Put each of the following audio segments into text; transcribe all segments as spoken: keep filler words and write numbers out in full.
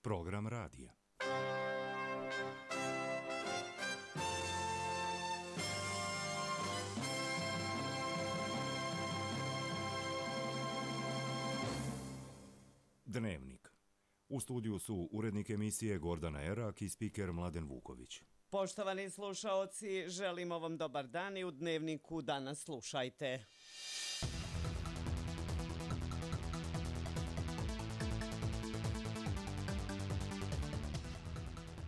Program radija. Dnevnik. U studiju su urednik emisije Gordana Erak i spiker Mladen Vuković. Poštovani slušaoci, želimo vam dobar dan i u Dnevniku danas slušajte.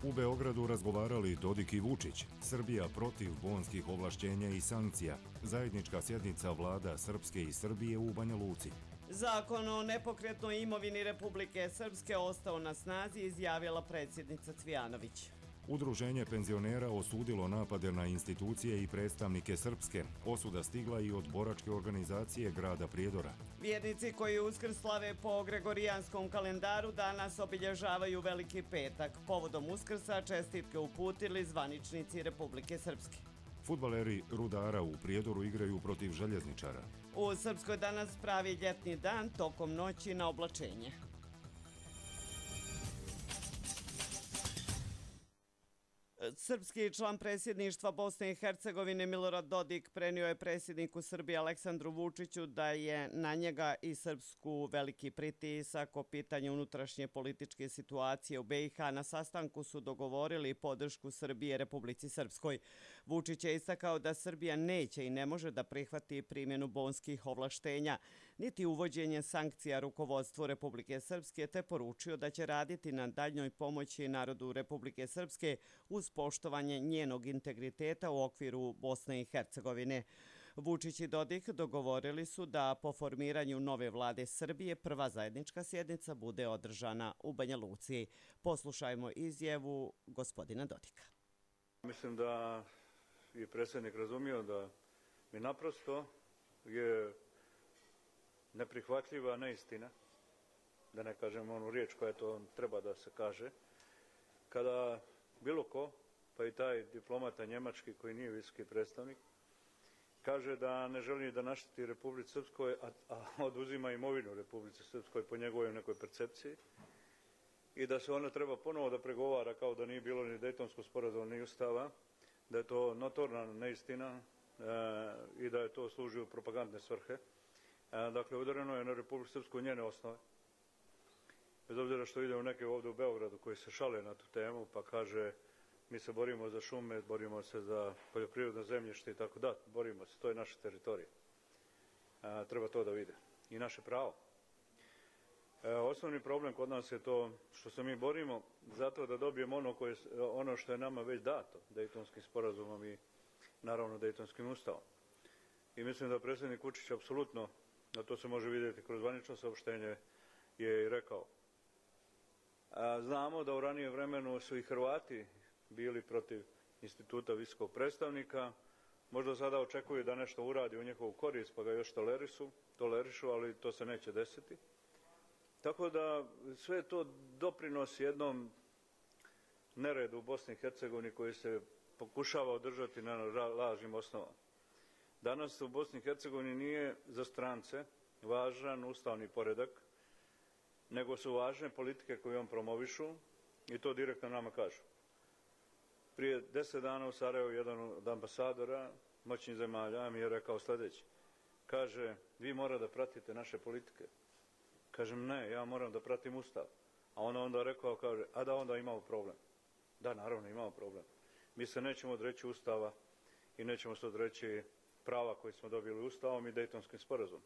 U Beogradu razgovarali Dodik i Vučić. Srbija protiv bonskih ovlašćenja i sankcija. Zajednička sjednica vlada Srpske i Srbije u Banja Luci. Zakon o nepokretnoj imovini Republike Srpske ostao na snazi, izjavila predsjednica Cvijanović. Udruženje penzionera osudilo napade na institucije i predstavnike Srpske. Osuda stigla i od boračke organizacije grada Prijedora. Vjernici koji Uskrs slave po Gregorijanskom kalendaru danas obilježavaju Veliki petak. Povodom Uskrsa čestitke uputili zvaničnici Republike Srpske. Fudbaleri Rudara u Prijedoru igraju protiv Željezničara. U Srpskoj danas pravi ljetni dan tokom noći na oblačenje. Srpski član predsjedništva Bosne i Hercegovine Milorad Dodik prenio je predsjedniku Srbije Aleksandru Vučiću da je na njega i Srpsku veliki pritisak o pitanju unutrašnje političke situacije u be i ha. Na sastanku su dogovorili podršku Srbije Republici Srpskoj. Vučić je istakao da Srbija neće i ne može da prihvati primjenu bonskih ovlaštenja, niti uvođenje sankcija rukovodstvu Republike Srpske, te poručio da će raditi na daljnjoj pomoći narodu Republike Srpske uz poštovanje njenog integriteta u okviru Bosne i Hercegovine. Vučić i Dodik dogovorili su da po formiranju nove vlade Srbije prva zajednička sjednica bude održana u Banja Luci. Poslušajmo izjavu gospodina Dodika. Mislim da je predsjednik razumio da mi naprosto je neprihvatljiva neistina, da ne kažem onu riječ koja to treba da se kaže, kada bilo ko, pa i taj diplomata njemački koji nije visoki predstavnik, kaže da ne želi da našteti Republici Srpskoj, a, a oduzima imovinu Republici Srpskoj po njegovoj nekoj percepciji i da se ona treba ponovo da pregovara kao da nije bilo ni Dejtonskog sporazuma ni ustava, da je to notorna neistina e, i da je to služi u propagandne svrhe. E, dakle, udareno je na Republiku Srpsku njene osnove. Bez obzira što ide u neke ovdje u Beogradu koji se šale na tu temu, pa kaže mi se borimo za šume, borimo se za poljoprivredno zemljište i tako da, borimo se, to je naša teritorija. E, treba to da vide. I naše pravo. E, osnovni problem kod nas je to što se mi borimo zato da dobijemo ono, koje, ono što je nama već dato Dejtonskim sporazumom i naravno Dejtonskim ustavom. I mislim da predsjednik Vučić apsolutno, a to se može vidjeti kroz zvanično saopštenje, je i rekao. A, znamo da u ranijem vremenu su i Hrvati bili protiv instituta visokog predstavnika, možda sada očekuju da nešto uradi u njihovu korist, pa ga još tolerišu, tolerišu, ali to se neće desiti. Tako da sve to doprinosi jednom neredu u Bosni i Hercegovini koji se pokušava održati na lažnim osnovama. Danas u Bosni i Hercegovini nije za strance važan ustavni poredak, nego su važne politike koje on promovišu i to direktno nama kažu. Prije deset dana u Sarajevu jedan od ambasadora moćnih zemalja mi je rekao sljedeće. Kaže, vi mora da pratite naše politike. Kažem, ne, ja moram da pratim ustav. A on onda rekao, kaže, a da onda imamo problem. Da, naravno imamo problem. Mi se nećemo odreći ustava i nećemo se odreći prava koje smo dobili ustavom i Dejtonskim sporazumom.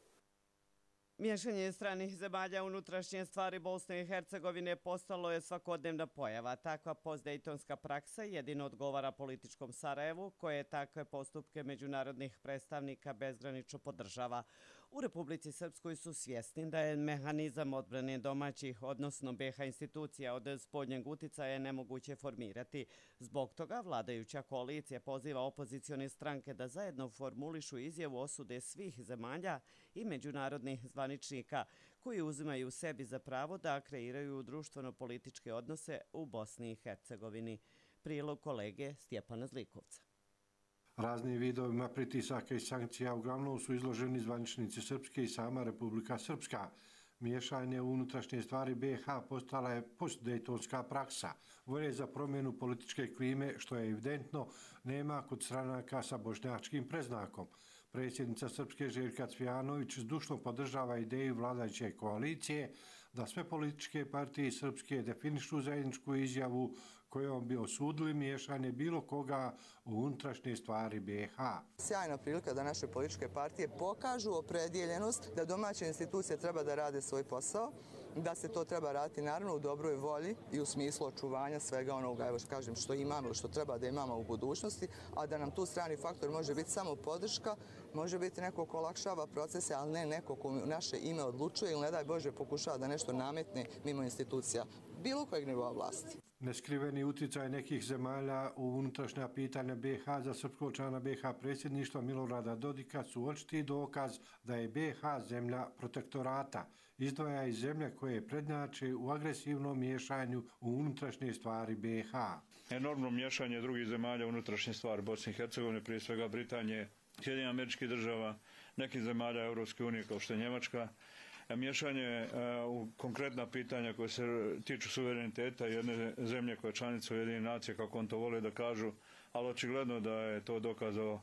Miješanje stranih zemalja unutrašnje stvari Bosne i Hercegovine postalo je svakodnevna pojava. Takva postdejtonska praksa jedino odgovara političkom Sarajevu, koje takve postupke međunarodnih predstavnika bezgranično podržava. U Republici Srpskoj su svjesni da je mehanizam odbrane domaćih, odnosno be ha institucija od spoljnjeg uticaja nemoguće formirati. Zbog toga vladajuća koalicija poziva opozicione stranke da zajedno formulišu izjavu osude svih zemalja i međunarodnih zvaničnika koji uzimaju sebi za pravo da kreiraju društveno-političke odnose u Bosni i Hercegovini. Prilog kolege Stjepana Zlikovca. Raznim vidovima pritisaka i sankcija uglavnom su izloženi zvaničnici Srpske i sama Republika Srpska. Miješanje u unutrašnje stvari B i H postala je postdejtonska praksa. Volje za promjenu političke klime, što je evidentno, nema kod stranaka sa bošnjačkim preznakom. Predsjednica Srpske Željka Cvijanović zdušno podržava ideju vladajuće koalicije da sve političke partije Srpske definišu zajedničku izjavu kojom bi osudili miješanje bilo koga u unutrašnje stvari B i H. Sjajna prilika da naše političke partije pokažu opredjeljenost da domaće institucije treba da rade svoj posao, da se to treba raditi naravno u dobroj volji i u smislu očuvanja svega onoga, evo kažem, što imamo ili što treba da imamo u budućnosti, a da nam tu strani faktor može biti samo podrška, može biti neko ko olakšava procese, ali ne neko ko u naše ime odlučuje ili ne daj Bože pokušava da nešto nametne mimo institucija bilo kojeg nivoa vlasti. Neskriveni utjecaj nekih zemalja u unutrašnja pitanja B i H za srpskog člana B i H predsjedništva Milorada Dodika su očiti dokaz da je B i H zemlja protektorata, izdvaja iz zemlje koje prednjače u agresivnom miješanju u unutrašnje stvari B i H. Enormno miješanje drugih zemalja u unutrašnje stvari Bosne i Hercegovine, prije svega Britanije, Sjedinjenih Američkih Država, nekih zemalja Europske unije kao što je Njemačka, miješanje u konkretna pitanja koje se tiču suvereniteta jedne zemlje koja je članica Ujedinjenih nacija, kako on to vole da kažu, ali očigledno da je to dokazao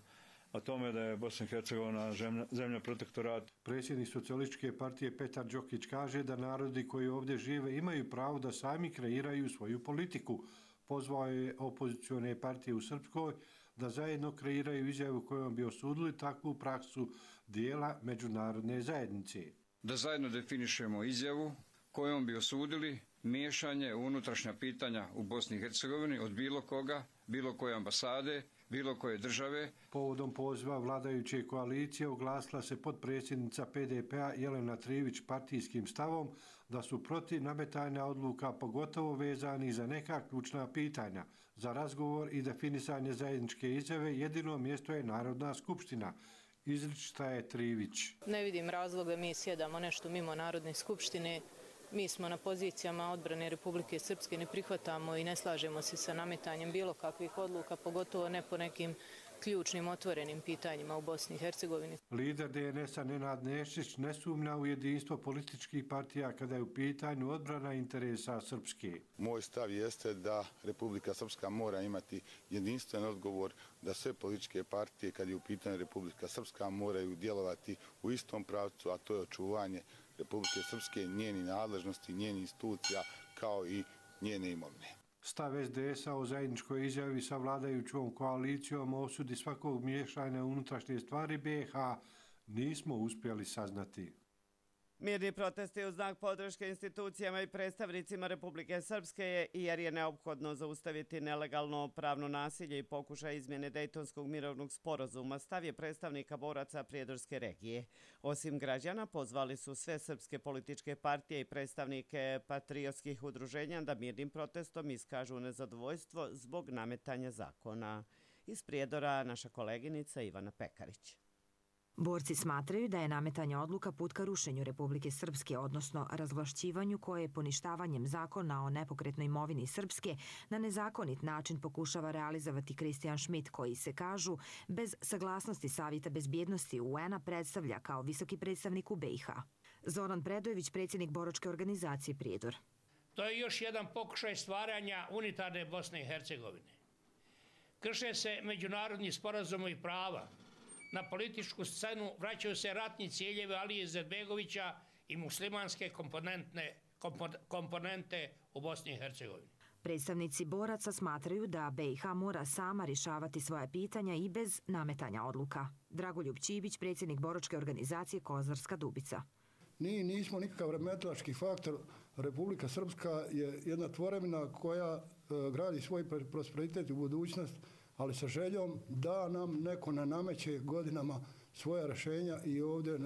o tome da je Bosna i Hercegovina zemlja, zemlja protektorata. Predsjednik Socijalističke partije Petar Đokić kaže da narodi koji ovdje žive imaju pravo da sami kreiraju svoju politiku. Pozvao je opozicione partije u Srpskoj da zajedno kreiraju izjavu kojom bi osudili takvu praksu dijela međunarodne zajednice. Da zajedno definišemo izjavu kojom bi osudili miješanje u unutrašnja pitanja u Bosni i Hercegovini od bilo koga, bilo koje ambasade, bilo koje države. Povodom poziva vladajuće koalicije oglasila se potpredsjednica P D P-a Jelena Trivić partijskim stavom da su protiv nametanja odluka pogotovo vezani za neka ključna pitanja. Za razgovor i definisanje zajedničke izjave jedino mjesto je Narodna skupština. Izričita je Trivić. Ne vidim razloga mi sjedamo nešto mimo Narodne skupštine. Mi smo na pozicijama odbrane Republike Srpske, ne prihvatamo i ne slažemo se sa nametanjem bilo kakvih odluka, pogotovo ne po nekim ključnim otvorenim pitanjima u Bosni i Hercegovini. Lider D N S-a Nenad Nešić ne sumnja u jedinstvo političkih partija kada je u pitanju odbrana interesa Srpske. Moj stav jeste da Republika Srpska mora imati jedinstven odgovor, da sve političke partije kad je u pitanju Republika Srpska moraju djelovati u istom pravcu, a to je očuvanje Republike Srpske, njeni nadležnosti, njeni institucija kao i njene imovine. Stav S D S-a o zajedničkoj izjavi sa vladajućom koalicijom o osudi svakog miješanja u unutrašnje stvari B i H nismo uspjeli saznati. Mirni protesti u znak podrške institucijama i predstavnicima Republike Srpske je jer je neophodno zaustaviti nelegalno pravno nasilje i pokušaj izmjene Dejtonskog mirovnog sporazuma, stav je predstavnika boraca Prijedorske regije. Osim građana, pozvali su sve srpske političke partije i predstavnike patriotskih udruženja da mirnim protestom iskažu nezadovoljstvo zbog nametanja zakona. Iz Prijedora naša koleginica Ivana Pekarić. Borci smatraju da je nametanje odluka put ka rušenju Republike Srpske, odnosno razvlašćivanju koje poništavanjem zakona o nepokretnoj imovini Srpske na nezakonit način pokušava realizovati Kristijan Šmit, koji se, kažu, bez saglasnosti Savjeta bezbjednosti U N-a predstavlja kao visoki predstavnik u B i H. Zoran Predojević, predsjednik boračke organizacije Prijedor. To je još jedan pokušaj stvaranja unitarne Bosne i Hercegovine. Krše se međunarodni sporazumi i prava. Na političku scenu vraćaju se ratni ciljevi Alije Izetbegovića i muslimanske komponente, komponente u Bosni i Hercegovini. Predstavnici boraca smatraju da B i H mora sama rješavati svoje pitanja i bez nametanja odluka. Dragoljub Čibić, predsjednik boračke organizacije Kozarska Dubica. Mi nismo nikakav remetilački faktor. Republika Srpska je jedna tvorevina koja e, gradi svoj prosperitet u budućnost, ali sa željom da nam neko ne nameće godinama svoja rješenja i ovdje uh,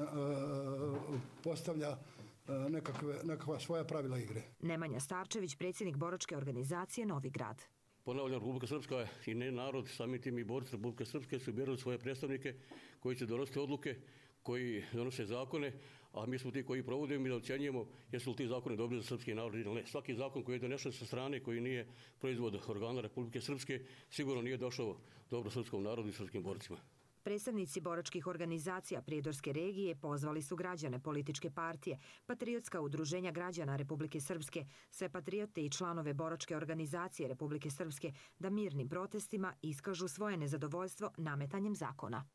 postavlja uh, nekakve, nekakva svoja pravila igre. Nemanja Starčević, predsjednik boračke organizacije Novi Grad. Ponavljam, Republika Srpska i ne narod, sami tim i borci Republike Srpske su birali svoje predstavnike koji će donositi odluke, koji donose zakone, a mi smo ti koji provodimo i da ocjenjujemo jesu li ti zakoni dobri za srpski narod ili ne. Svaki zakon koji je donešen sa strane, koji nije proizvod organa Republike Srpske, sigurno nije došao dobro srpskom narodu i srpskim borcima. Predstavnici boračkih organizacija Prijedorske regije pozvali su građane, političke partije, patriotska udruženja građana Republike Srpske, sve patriote i članove boračke organizacije Republike Srpske da mirnim protestima iskažu svoje nezadovoljstvo nametanjem zakona.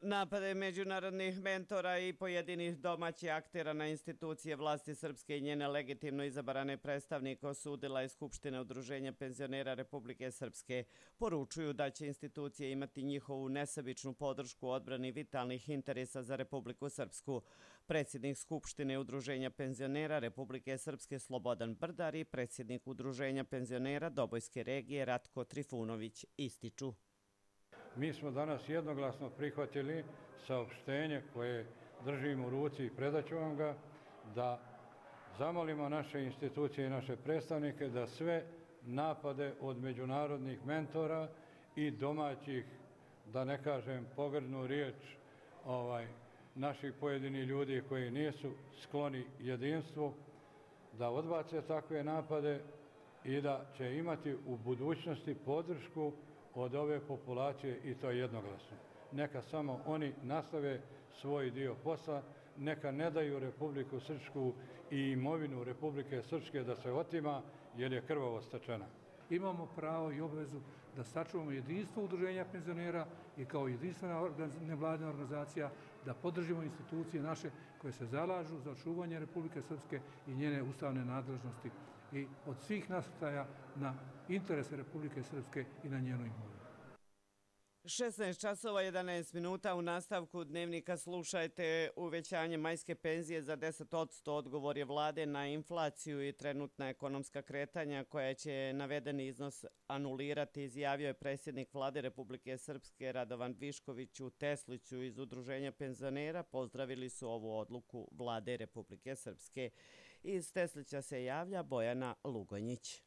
Napade međunarodnih mentora i pojedinih domaćih aktera na institucije vlasti Srpske i njene legitimno izabrane predstavnike osudila je Skupština Udruženja penzionera Republike Srpske. Poručuju da će institucije imati njihovu nesebičnu podršku u odbrani vitalnih interesa za Republiku Srpsku. Predsjednik Skupštine Udruženja penzionera Republike Srpske Slobodan Brdar i predsjednik Udruženja penzionera Dobojske regije Ratko Trifunović ističu. Mi smo danas jednoglasno prihvatili saopštenje koje držimo u ruci i predat ću vam ga, da zamolimo naše institucije i naše predstavnike da sve napade od međunarodnih mentora i domaćih, da ne kažem pogrdnu riječ, ovaj, naših pojedinih ljudi koji nisu skloni jedinstvu, da odbace takve napade i da će imati u budućnosti podršku od ove populacije i to jednoglasno. Neka samo oni nastave svoj dio posla, neka ne daju Republiku Srpsku i imovinu Republike Srpske da se otima jer je krvavo stečena. Imamo pravo i obvezu da sačuvamo jedinstvo udruženja penzionera i kao jedinstvena nevladina organizacija da podržimo institucije naše koje se zalažu za očuvanje Republike Srpske i njene ustavne nadležnosti i od svih nasrtaja na interese Republike Srpske i na njenu imovinu. šesnaest časova jedanaest minuta u nastavku dnevnika slušajte uvećanje majske penzije za deset posto. Odgovor je vlade na inflaciju i trenutna ekonomska kretanja koja će navedeni iznos anulirati, izjavio je predsjednik vlade Republike Srpske Radovan Višković u Tesliću iz Udruženja penzionera. Pozdravili su ovu odluku vlade Republike Srpske. Iz Teslića se javlja Bojana Lugonjić.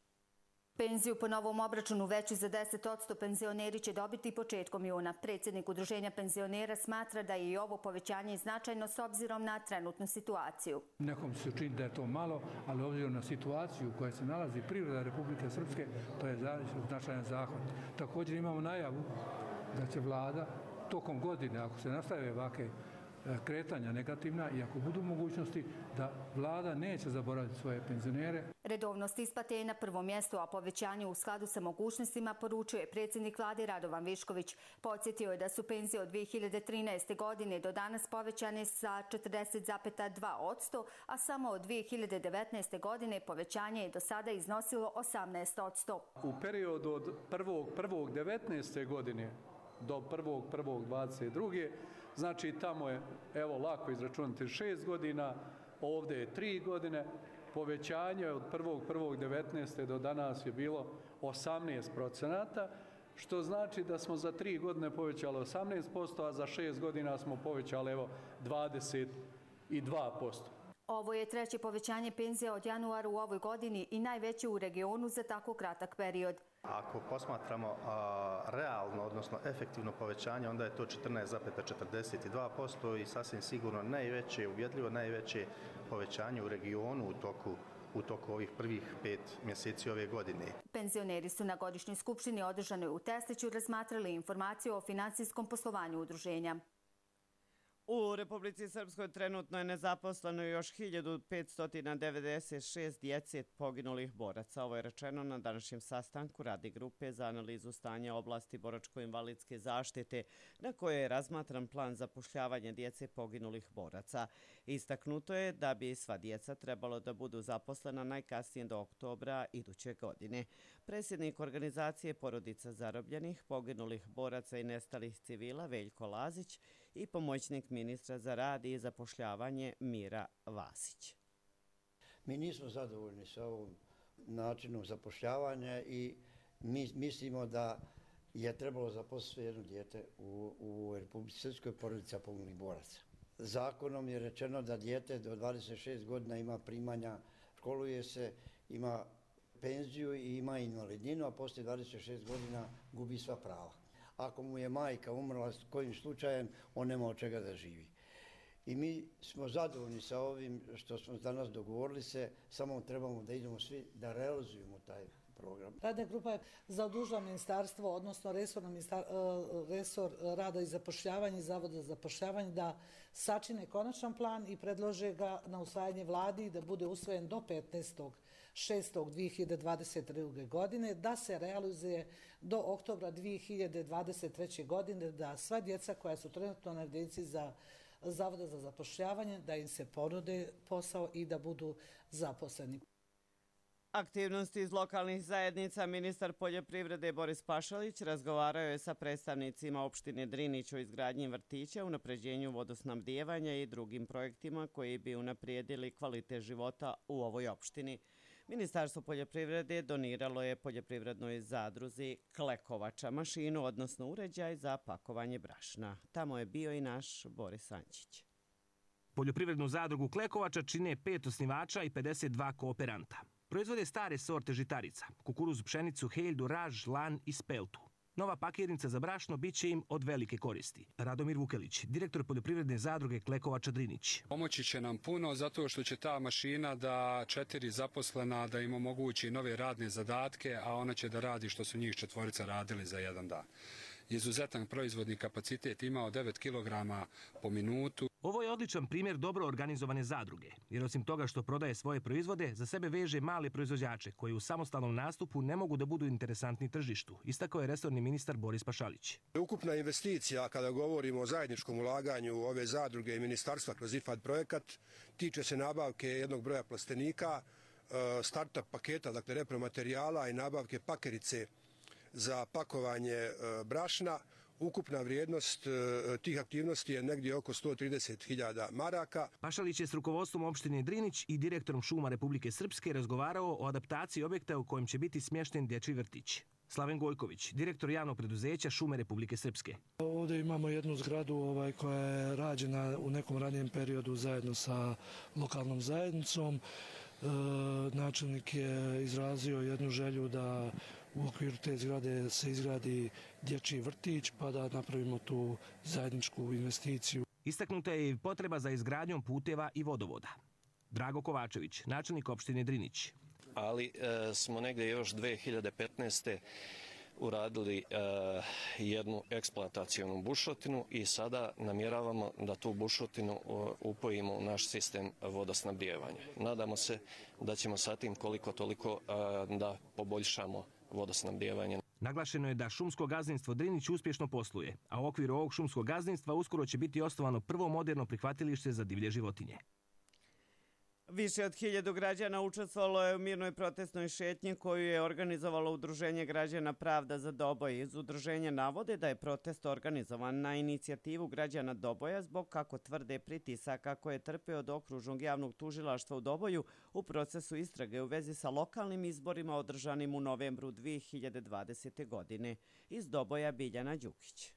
Penziju po novom obračunu veću za deset posto penzioneri će dobiti početkom juna. Predsjednik Udruženja penzionera smatra da je i ovo povećanje značajno s obzirom na trenutnu situaciju. Nekom se čini da je to malo, ali obzirom na situaciju u kojoj se nalazi privreda Republike Srpske, to je značajan zahvat. Također imamo najavu da će vlada tokom godine, ako se nastave ovakve kretanja negativna i ako budu mogućnosti da vlada neće zaboraviti svoje penzionere. Redovnost isplate je na prvom mjestu, a povećanje u skladu sa mogućnostima poručuje predsjednik vlade Radovan Višković. Podsjetio je da su penzije od dvije hiljade trinaeste. godine do danas povećane sa četrdeset zarez dva posto, a samo od dvije hiljade devetnaeste. godine povećanje je do sada iznosilo osamnaest posto. U periodu od prvog prvog devetnaeste. godine do prvog prvog dvadeset druge. Znači tamo je, evo lako izračunati, šest godina, ovdje je tri godine, povećanje od prvog prvog devetnaeste. do danas je bilo osamnaest procenata, što znači da smo za tri godine povećali osamnaest posto, a za šest godina smo povećali evo dvadeset dva posto. Ovo je treće povećanje penzija od januara u ovoj godini i najveće u regionu za tako kratak period. Ako posmatramo a, realno, odnosno efektivno povećanje, onda je to četrnaest zarez četrdeset dva posto i sasvim sigurno najveće, uvjedljivo najveće povećanje u regionu u toku u toku ovih prvih pet mjeseci ove godine. Penzioneri su na godišnjoj skupštini održanoj u Tesliću razmatrali informaciju o finansijskom poslovanju udruženja. U Republici Srpskoj trenutno je nezaposleno još hiljadu petsto devedeset šest djece poginulih boraca. Ovo je rečeno na današnjem sastanku Radne grupe za analizu stanja oblasti boračko-invalidske zaštite, na kojoj je razmatran plan zapošljavanja djece poginulih boraca. Istaknuto je da bi sva djeca trebalo da budu zaposlena najkasnije do oktobra iduće godine. Predsjednik organizacije Porodica zarobljenih, poginulih boraca i nestalih civila Veljko Lazić i pomoćnik ministra za rad i zapošljavanje Mira Vasić. Mi nismo zadovoljni sa ovom načinom zapošljavanja i mi mislimo da je trebalo zaposliti jedno dijete u, u Republici Srpskoj porodica poginulih boraca. Zakonom je rečeno da dijete do dvadeset šest godina ima primanja, školuje se, ima penziju i ima invalidninu, a poslije dvadeset šest godina gubi sva prava. Ako mu je majka umrla s kojim slučajem, on nema od čega da živi. I mi smo zadovoljni sa ovim što smo danas dogovorili se, samo trebamo da idemo svi da realizujemo taj program. Radna grupa je zadužila ministarstvo, odnosno resor rada i zapošljavanja i Zavoda za zapošljavanje da sačine konačan plan i predlože ga na usvajanje vladi i da bude usvojen do petnaestog šestog dve hiljade dvadeset druge. godine, da se realizuje do oktobra dve hiljade dvadeset treće. godine, da sva djeca koja su trenutno na evidenciji za Zavoda za zapošljavanje, da im se ponude posao i da budu zaposleni. Aktivnosti iz lokalnih zajednica ministar poljoprivrede Boris Pašalić razgovarao je sa predstavnicima opštine Drinić o izgradnji vrtića, unapređenju vodosnabdijevanja i drugim projektima koji bi unaprijedili kvalitet života u ovoj opštini. Ministarstvo poljoprivrede doniralo je poljoprivrednoj zadruzi Klekovača mašinu, odnosno uređaj za pakovanje brašna. Tamo je bio i naš Boris Ančić. Poljoprivrednu zadrugu Klekovača čine pet osnivača i pedeset dva kooperanta. Proizvode stare sorte žitarica, kukuruz, pšenicu, heljdu, raž, lan i speltu. Nova pakirnica za brašno bit će im od velike koristi. Radomir Vukelić, direktor poljoprivredne zadruge Klekovača Drinić. Pomoći će nam puno zato što će ta mašina da četiri zaposlena da im omogući nove radne zadatke, a ona će da radi što su njih četvorica radili za jedan dan. Izuzetan proizvodni kapacitet imao devet kilograma po minutu. Ovo je odličan primjer dobro organizovane zadruge, jer osim toga što prodaje svoje proizvode, za sebe veže male proizvođače koji u samostalnom nastupu ne mogu da budu interesantni tržištu, istakao je resorni ministar Boris Pašalić. Ukupna investicija, kada govorimo o zajedničkom ulaganju ove zadruge i ministarstva kroz I F A D projekat, tiče se nabavke jednog broja plastenika, startup paketa, dakle repromaterijala i nabavke pakerice za pakovanje brašna. Ukupna vrijednost tih aktivnosti je negdje oko sto trideset hiljada maraka. Pašalić je s rukovodstvom opštine Drinić i direktorom šuma Republike Srpske razgovarao o adaptaciji objekta u kojem će biti smješten dječji vrtić. Slaven Gojković, direktor javnog preduzeća Šume Republike Srpske. Ovdje imamo jednu zgradu ovaj, koja je rađena u nekom ranijem periodu zajedno sa lokalnom zajednicom. E, načelnik je izrazio jednu želju da u okviru te zgrade se izgradi dječji vrtić pa da napravimo tu zajedničku investiciju. Istaknuta je i potreba za izgradnjom puteva i vodovoda. Drago Kovačević, načelnik opštine Drinić. Ali e, smo negdje još dve hiljade petnaeste. uradili e, jednu eksploatacijonu bušotinu i sada namjeravamo da tu bušotinu upojimo u naš sistem vodosnabdijevanja. Nadamo se da ćemo sa tim koliko toliko e, da poboljšamo vodosnabdijevanje. Naglašeno je da šumsko gazdinstvo Drinić uspješno posluje, a u okviru ovog šumskog gazdinstva uskoro će biti osnovano prvo moderno prihvatilište za divlje životinje. Više od hiljadu građana učestvovalo je u mirnoj protestnoj šetnji koju je organizovalo Udruženje građana Pravda za Doboj. Iz udruženja navode da je protest organizovan na inicijativu građana Doboja zbog, kako tvrde, pritisaka koje je trpeo od okružnog javnog tužilaštva u Doboju u procesu istrage u vezi sa lokalnim izborima održanim u novembru dve hiljade dvadesete. godine. Iz Doboja Biljana Đukić.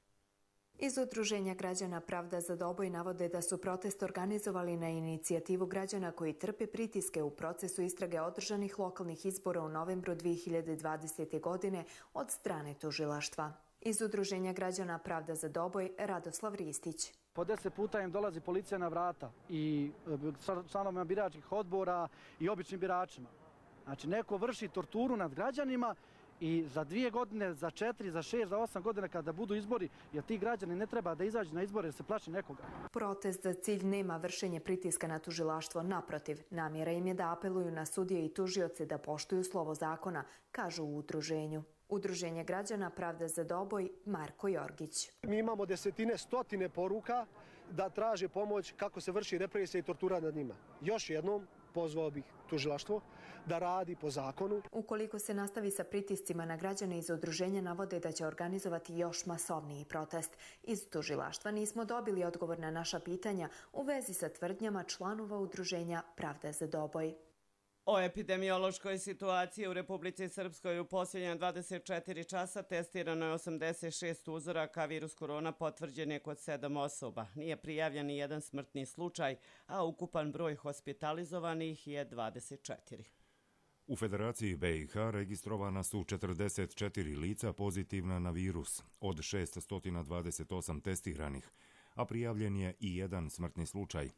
Iz Udruženja građana Pravda za Doboj navode da su protest organizovali na inicijativu građana koji trpe pritiske u procesu istrage održanih lokalnih izbora u novembru dve hiljade dvadesete. godine od strane tužilaštva. Iz Udruženja građana Pravda za Doboj Radoslav Ristić. Po deset puta im dolazi policija na vrata i članovima biračkih odbora i običnim biračima. Znači neko vrši torturu nad građanima i za dvije godine, za četiri, za šest, za osam godina kada budu izbori, jer ti građani ne treba da izađu na izbore jer se plaši nekoga. Protest za cilj nema vršenje pritiska na tužilaštvo. Naprotiv, namjera im je da apeluju na sudije i tužioce da poštuju slovo zakona, kažu u udruženju. Udruženje građana Pravda za Doboj Marko Jorgić. Mi imamo desetine, stotine poruka da traže pomoć kako se vrši represija i tortura nad njima. Još jednom pozvao bih tužilaštvo da radi po zakonu. Ukoliko se nastavi sa pritiscima na građane, iz udruženja navode da će organizovati još masovniji protest. Iz tužilaštva nismo dobili odgovor na naša pitanja u vezi sa tvrdnjama članova udruženja Pravda za Doboj. O epidemiološkoj situaciji u Republici Srpskoj u posljednja dvadeset četiri časa testirano je osamdeset šest uzoraka, virus korona potvrđen je kod sedam osoba. Nije prijavljen ni jedan smrtni slučaj, a ukupan broj hospitalizovanih je dvadeset četiri. U Federaciji B i H registrovana su četrdeset četiri lica pozitivna na virus, od šeststo dvadeset osam testiranih, a prijavljen je i jedan smrtni slučaj.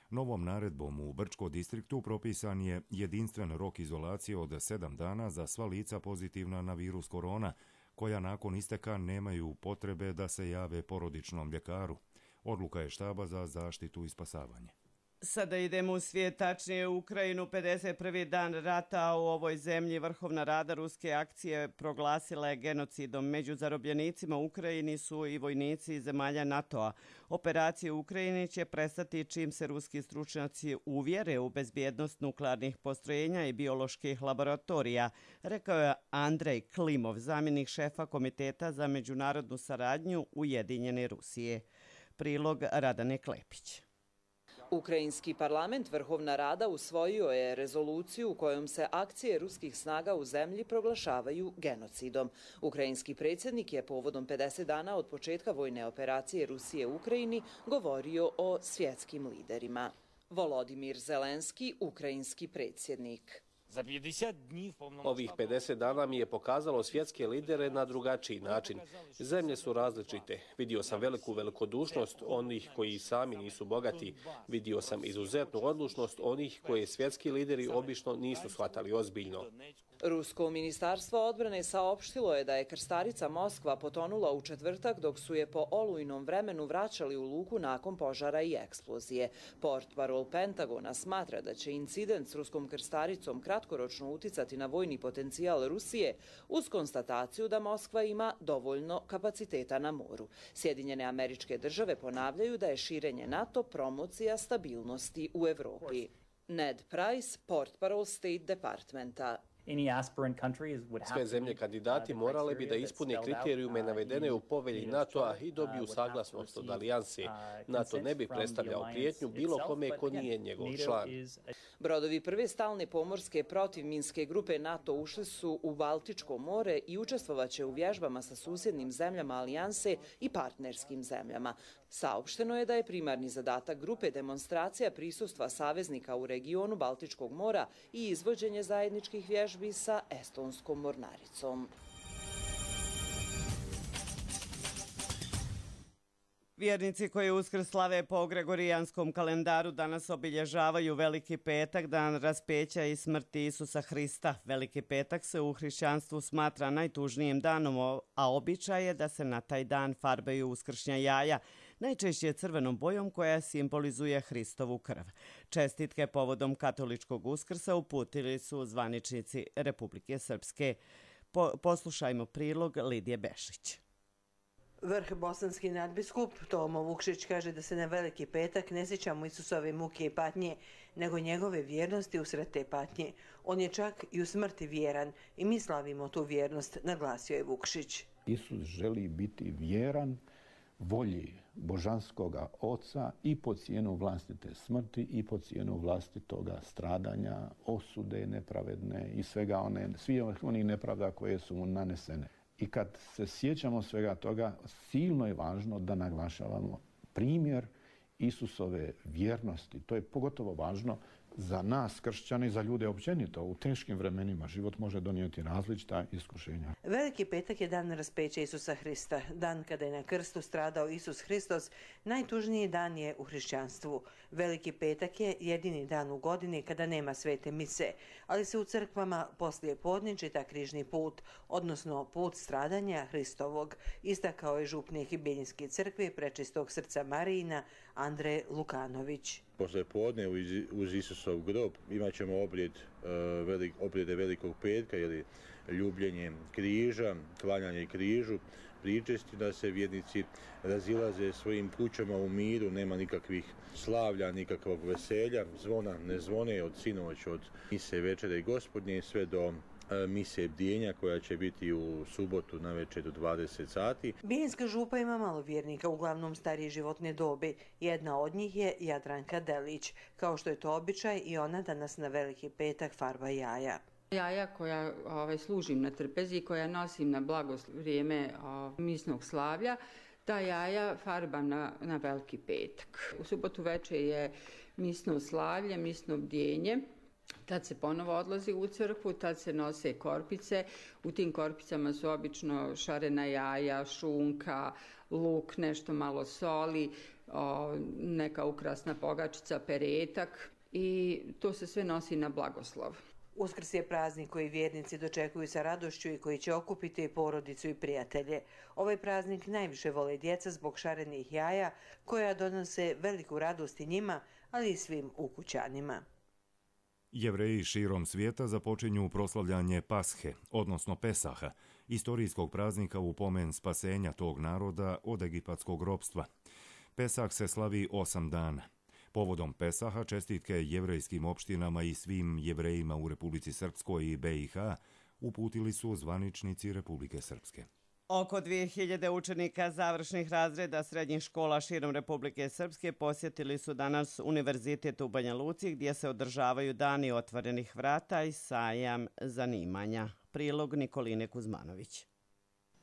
Novom naredbom u Brčko distriktu propisan je jedinstven rok izolacije od sedam dana za sva lica pozitivna na virus korona, koja nakon isteka nemaju potrebe da se jave porodičnom ljekaru. Odluka je štaba za zaštitu i spasavanje. Sada idemo u svijet, tačnije u Ukrajinu. pedeset prvi dan rata u ovoj zemlji Vrhovna rada ruske akcije proglasila je genocidom. Među zarobljenicima u Ukrajini su i vojnici zemalja NATO-a. Operacije u Ukrajini će prestati čim se ruski stručnjaci uvjere u bezbjednost nuklearnih postrojenja i bioloških laboratorija, rekao je Andrej Klimov, zamjenik šefa Komiteta za međunarodnu saradnju Ujedinjene Rusije. Prilog Radane Klepić. Ukrajinski parlament Vrhovna rada usvojio je rezoluciju kojom se akcije ruskih snaga u zemlji proglašavaju genocidom. Ukrajinski predsjednik je povodom pedeset dana od početka vojne operacije Rusije u Ukrajini govorio o svjetskim liderima. Volodimir Zelenski, ukrajinski predsjednik. Ovih pedeset dana mi je pokazalo svjetske lidere na drugačiji način. Zemlje su različite. Vidio sam veliku velikodušnost onih koji sami nisu bogati. Vidio sam izuzetnu odlučnost onih koje svjetski lideri obično nisu shvatali ozbiljno. Rusko ministarstvo odbrane saopštilo je da je krstarica Moskva potonula u četvrtak dok su je po olujnom vremenu vraćali u luku nakon požara i eksplozije. Portparol Pentagona smatra da će incident s ruskom krstaricom kratkoročno uticati na vojni potencijal Rusije uz konstataciju da Moskva ima dovoljno kapaciteta na moru. Sjedinjene Američke Države ponavljaju da je širenje NATO promocija stabilnosti u Evropi. Ned Price, portparol State Departmenta. Sve zemlje kandidati morale bi da ispune kriterijume navedene u povelji NATO-a i dobiju saglasnost od alijanse. NATO ne bi predstavljao prijetnju bilo kome ko nije njegov član. Brodovi prve stalne pomorske protivminske grupe NATO ušli su u Baltičko more i učestvovaće u vježbama sa susjednim zemljama alijanse i partnerskim zemljama. Saopšteno je da je primarni zadatak grupe demonstracija prisustva saveznika u regionu Baltičkog mora i izvođenje zajedničkih vježbi sa estonskom mornaricom. Vjernici koji Uskrs slave po gregorijanskom kalendaru danas obilježavaju Veliki petak, dan raspeća i smrti Isusa Hrista. Veliki petak se u hrišćanstvu smatra najtužnijim danom, a običaj je da se na taj dan farbaju uskršnja jaja, najčešće crvenom bojom koja simbolizuje Hristovu krv. Čestitke povodom katoličkog Uskrsa uputili su zvaničnici Republike Srpske. Po, poslušajmo prilog Lidije Bešić. Vrh bosanski nadbiskup Tomo Vukšić kaže da se na Veliki petak ne sjećamo Isusove muke i patnje, nego njegove vjernosti usred te patnje. On je čak i u smrti vjeran i mi slavimo tu vjernost, naglasio je Vukšić. Isus želi biti vjeran volji božanskoga Oca i po cijenu vlastite smrti i po cijenu vlastitoga stradanja, osude nepravedne i svega one, svi onih nepravda koje su mu nanesene. I kad se sjećamo svega toga, silno je važno da naglašavamo primjer Isusove vjernosti. To je pogotovo važno za nas, kršćani, za ljude općenito. U teškim vremenima život može donijeti različita iskušenja. Veliki petak je dan raspeća Isusa Hrista. Dan kada je na krstu stradao Isus Hristos, najtužniji dan je u hrišćanstvu. Veliki petak je jedini dan u godini kada nema svete mise, ali se u crkvama poslije podne čita križni put, odnosno put stradanja Hristovog, istakao je župnik Bijeljinske crkve Prečistog srca Marijina Andrej Lukanović. Posle podne uz Isusov grob imat ćemo obrijed, velik, obrijede Velikog petka, ili ljubljenje križa, klanjanje križu, pričesti da se vjernici razilaze svojim kućama u miru, nema nikakvih slavlja, nikakvog veselja, zvona ne zvone od sinoć, od mise večere Gospodnje sve do mise bdijenja koja će biti u subotu na večer u dvadeset sati. Bijeljinska župa ima malo vjernika, uglavnom starije životne dobi. Jedna od njih je Jadranka Delić. Kao što je to običaj, i ona danas na Veliki petak farba jaja. Jaja koja ovaj, služim na trpezi, koja nosim na blagoslov vrijeme ovaj, misnog slavlja, ta jaja farbam na, na Veliki petak. U subotu večer je misno slavlje, misno bdjenje. Tad se ponovo odlazi u crkvu, tad se nose korpice. U tim korpicama su obično šarena jaja, šunka, luk, nešto malo soli. o, neka ukrasna pogačica, peretak i to se sve nosi na blagoslov. Uskrs je praznik koji vjernici dočekuju sa radošću i koji će okupiti porodicu i prijatelje. Ovaj praznik najviše vole djeca zbog šarenih jaja koja donose veliku radost i njima, ali i svim ukućanima. Jevreji širom svijeta započinju proslavljanje Pashe, odnosno Pesaha, istorijskog praznika u pomen spasenja tog naroda od egipatskog ropstva. Pesah se slavi osam dana. Povodom Pesaha čestitke jevrejskim opštinama i svim Jevrejima u Republici Srpskoj i be i ha uputili su zvaničnici Republike Srpske. Oko dvije hiljade učenika završnih razreda srednjih škola širom Republike Srpske posjetili su danas Univerzitet u Banja Luci gdje se održavaju dani otvorenih vrata i sajam zanimanja. Prilog Nikoline Kuzmanović.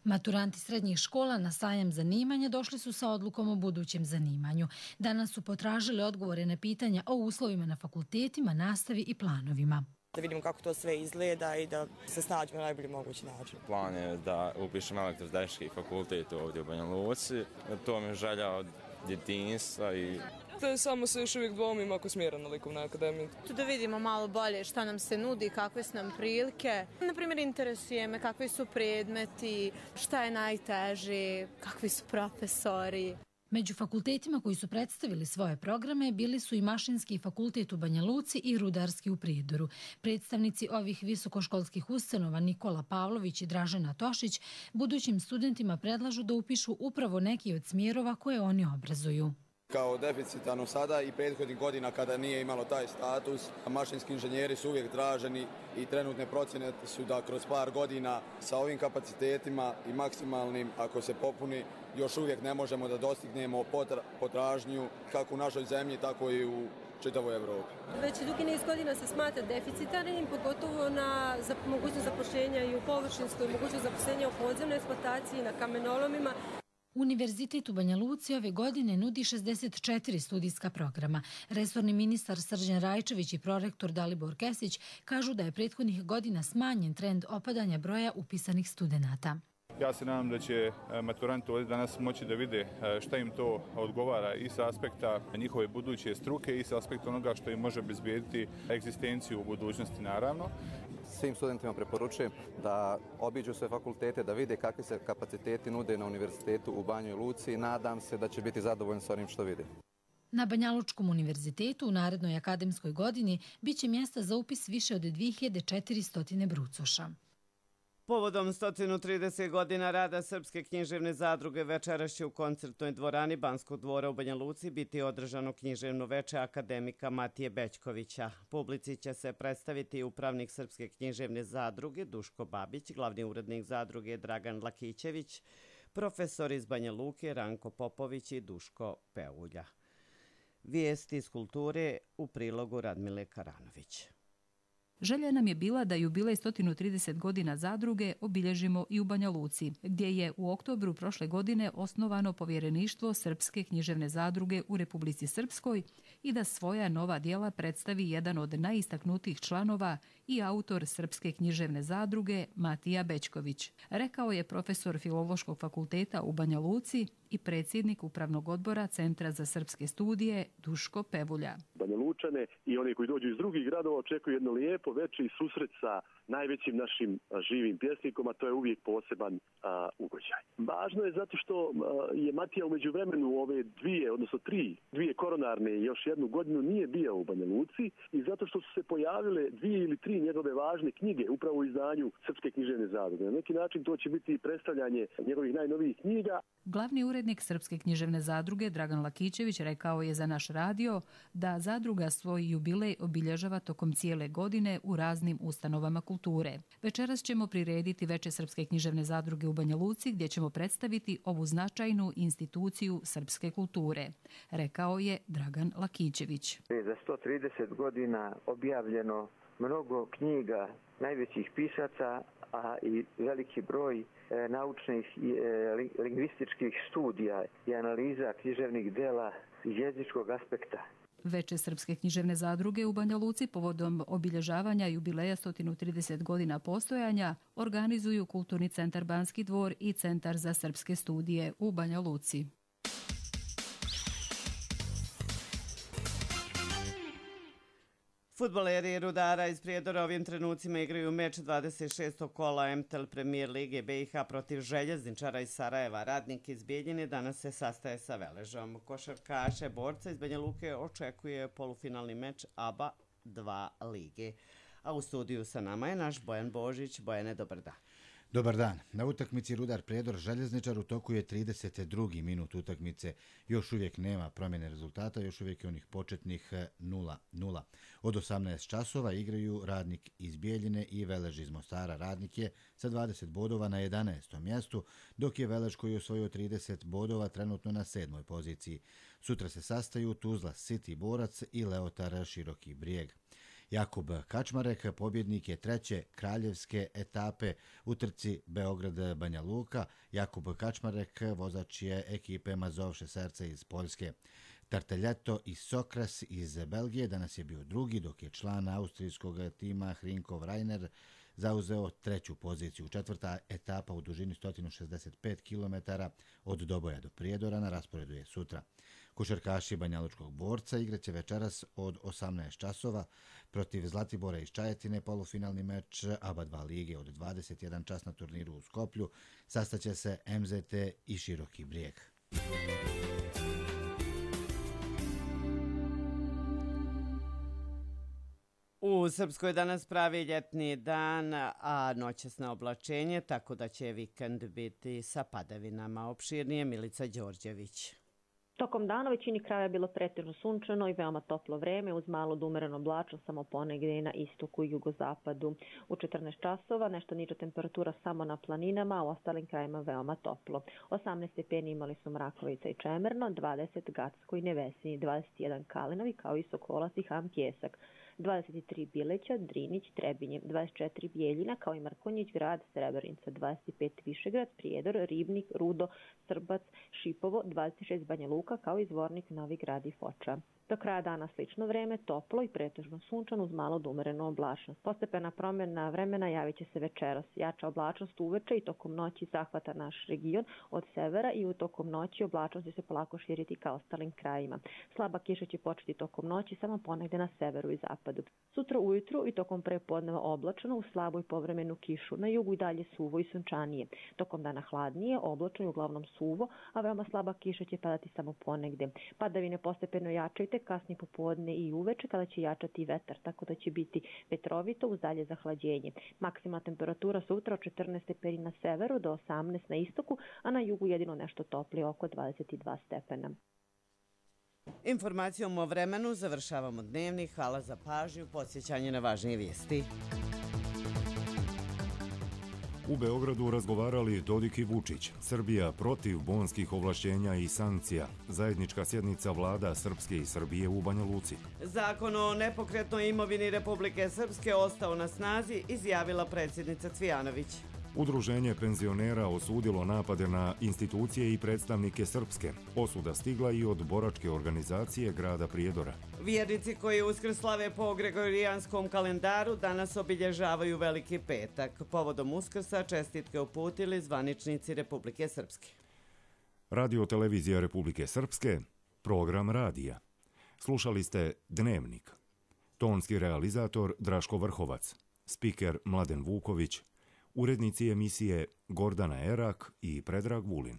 Maturanti srednjih škola na sajam zanimanja došli su sa odlukom o budućem zanimanju. Danas su potražili odgovore na pitanja o uslovima na fakultetima, nastavi i planovima. Da vidimo kako to sve izgleda i da se snađemo na najbolji mogući način. Plan je da upišem elektrotehnički fakultet ovdje u Banja Luci. To mi je želja od djetinjstva i... Te samo se još uvijek dvomim ako smjeram na likovnoj akademiji. Tu da vidimo malo bolje šta nam se nudi, kakve su nam prilike. Naprimjer, interesuje me kakvi su predmeti, šta je najteže, kakvi su profesori. Među fakultetima koji su predstavili svoje programe bili su i Mašinski fakultet u Banja Luci i Rudarski u Prijedoru. Predstavnici ovih visokoškolskih ustanova Nikola Pavlović i Dražena Tošić budućim studentima predlažu da upišu upravo neki od smjerova koje oni obrazuju. Kao deficitarno sada i prethodnih godina kada nije imalo taj status, mašinski inženjeri su uvijek traženi i trenutne procjene su da kroz par godina sa ovim kapacitetima i maksimalnim, ako se popuni, još uvijek ne možemo da dostignemo potražnju kako u našoj zemlji, tako i u čitavoj Evropi. Već dugi niz godina se smatra deficitarnim, pogotovo na mogućnost zapošljenja i u površinskoj, mogućnost zapošljenja u podzemnoj eksploataciji, na kamenolomima. Univerzitet u Banja Luci ove godine nudi šezdeset četiri studijska programa. Resorni ministar Srđan Rajčević i prorektor Dalibor Kesić kažu da je prethodnih godina smanjen trend opadanja broja upisanih studenata. Ja se nadam da će maturanti ovdje danas moći da vide šta im to odgovara i sa aspekta njihove buduće struke i sa aspekta onoga što im može obezbijediti egzistenciju u budućnosti, naravno. Svim studentima preporučujem da obiđu sve fakultete, da vide kakvi se kapaciteti nude na univerzitetu u Banjoj Luci. Nadam se da će biti zadovoljni s onim što vide. Na Banja Lučkom univerzitetu u narednoj akademskoj godini biće mjesta za upis više od dvije hiljade četiristo brucoša. Povodom sto trideset godina rada Srpske književne zadruge večeras će u koncertnoj dvorani Banskog dvora u Banja Luci biti održano književno veče akademika Matije Bećkovića. Publici će se predstaviti upravnik Srpske književne zadruge Duško Babić, glavni urednik zadruge Dragan Lakićević, profesor iz Banja Luke Ranko Popović i Duško Peulja. Vijesti iz kulture u prilogu Radmile Karanović. Želja nam je bila da jubilej sto trideset godina zadruge obilježimo i u Banja Luci, gdje je u oktobru prošle godine osnovano povjereništvo Srpske književne zadruge u Republici Srpskoj i da svoja nova djela predstavi jedan od najistaknutijih članova i autor Srpske književne zadruge Matija Bećković, rekao je profesor Filološkog fakulteta u Banja Luci i predsjednik Upravnog odbora Centra za srpske studije Duško Pevulja. Banja Lučane i oni koji dođu iz drugih gradova očekuju jedno lijepo veče i susret sa najvećim našim živim pjesnikom, a to je uvijek poseban a, ugođaj. Važno je zato što a, je Matija umeđu vremenu ove dvije, odnosno tri, dvije koronarne i još jednu godinu nije bio u Banja Luci i zato što su se pojavile dvije ili tri njegove važne knjige upravo u izdanju Srpske književne zadruge. Na neki način to će biti predstavljanje njegovih najnovijih knjiga. Glavni urednik Srpske književne zadruge Dragan Lakićević rekao je za naš radio da zadruga svoj jubilej obilježava tokom cijele godine u raznim ustanovama kulture. Večeras ćemo prirediti veče Srpske književne zadruge u Banja Luci gdje ćemo predstaviti ovu značajnu instituciju srpske kulture, rekao je Dragan Lakićević. Za sto trideset godina objavljeno mnogo knjiga najvećih pisaca, a i veliki broj e, naučnih i e, lingvističkih studija i analiza književnih dela iz jezičkog aspekta. Veče Srpske književne zadruge u Banja Luci povodom obilježavanja jubileja sto trideset godina postojanja organizuju Kulturni centar Banski dvor i Centar za srpske studije u Banja Luci. Fudbaleri Rudara iz Prijedora ovim trenucima igraju meč dvadeset šestog kola M T L Premier Lige B i H protiv Željezničara iz Sarajeva. Radnik iz Bijeljine danas se sastaje sa Veležom. Košarkaše borca iz Banja Luke očekuje polufinalni meč A B A dva lige. A u studiju sa nama je naš Bojan Božić. Bojane, dobar dan. Dobar dan. Na utakmici Rudar Prijedor Željezničar u toku je trideset drugi minut utakmice. Još uvijek nema promjene rezultata, još uvijek je onih početnih nula nula. Od osamnaest časova igraju Radnik iz Bijeljine i Velež iz Mostara. Radnik je sa dvadeset bodova na jedanaestom mjestu, dok je Velež koji je osvojio trideset bodova trenutno na sedmoj poziciji. Sutra se sastaju Tuzla City Borac i Leotar Široki Brijeg. Jakub Kačmarek pobjednik je treće kraljevske etape u trci Beograd-Banja Luka. Jakub Kačmarek vozač je ekipe Mazovše Serce iz Poljske. Tarteljeto i Sokras iz Belgije danas je bio drugi, dok je član austrijskog tima Hrinkov Rainer zauzeo treću poziciju. Četvrta etapa u dužini sto šezdeset pet kilometara od Doboja do Prijedora na rasporedu je sutra. Košarkaši Banjalučkog Borca igraće večeras od osamnaest časova protiv Zlatibora iz Čajetine. Polufinalni meč A B A dva lige od dvadeset jedan čas na turniru u Skoplju. Sastaće se M Z T i Široki Brijeg. U Srpskoj danas pravi ljetni dan, a noćasno oblačenje, tako da će vikend biti sa padavinama. Opširnije Milica Đorđević. Tokom dana u većini kraja je bilo pretežno sunčano i veoma toplo vreme uz malo do umereno oblačno samo ponegdje na istoku i jugozapadu. U četrnaest časova nešto niža temperatura samo na planinama, a u ostalim krajima veoma toplo. osamnaest stepeni imali su Mrakovica i Čemerno, dvadeset Gacko i Nevesinji, dvadeset jedan Kalinovi kao i Sokolac i Ham Pjesak, dvadeset tri Bileća, Drinić, Trebinje, dvadeset četiri Bijeljina kao i Markonjić grad, Srebrenica, dvadeset pet Višegrad, Prijedor, Ribnik, Rudo, Srbac, Šipovo, dvadeset šest Banja Luka kao i Zvornik, Novi Grad i Foča. Do kraja dana slično vreme, toplo i pretežno sunčano uz malo do umerenu oblačnost. Postepena promjena vremena javit će se večeras. Jača oblačnost uveče i tokom noći zahvata naš region od severa i u tokom noći oblačnost će se polako širiti ka ostalim krajima. Slaba kiša će početi tokom noći samo ponegde na severu i zapadu. Sutra ujutru i tokom prepodneva oblačno uz slabu i povremenu kišu. Na jugu i dalje suvo i sunčanije. Tokom dana hladnije, oblačno i uglavnom suvo, a veoma slaba kiša će padati samo ponegde. Padavine postepeno jačajte kasnije popodne i uveče kada će jačati vetar, tako da će biti vetrovito uz dalje zahlađenje. Maksimalna temperatura sutra od četrnaest stepeni na severu do osamnaest na istoku, a na jugu jedino nešto toplije oko dvadeset dva stepena. Informacijom o vremenu završavamo dnevnik. Hvala za pažnju, podsjećanje na važnije vijesti. U Beogradu razgovarali Dodik i Vučić. Srbija protiv bonskih ovlašćenja i sankcija. Zajednička sjednica vlada Srpske i Srbije u Banja Luci. Zakon o nepokretnoj imovini Republike Srpske ostao na snazi, izjavila predsjednica Cvijanović. Udruženje penzionera osudilo napade na institucije i predstavnike Srpske. Osuda stigla i od boračke organizacije grada Prijedora. Vjernici koji Uskrs slave po gregorijanskom kalendaru danas obilježavaju Veliki petak. Povodom Uskrsa čestitke uputili zvaničnici Republike Srpske. Radio televizija Republike Srpske, program radija. Slušali ste Dnevnik. Tonski realizator Draško Vrhovac, spiker Mladen Vuković, urednici emisije Gordana Erak i Predrag Vulin.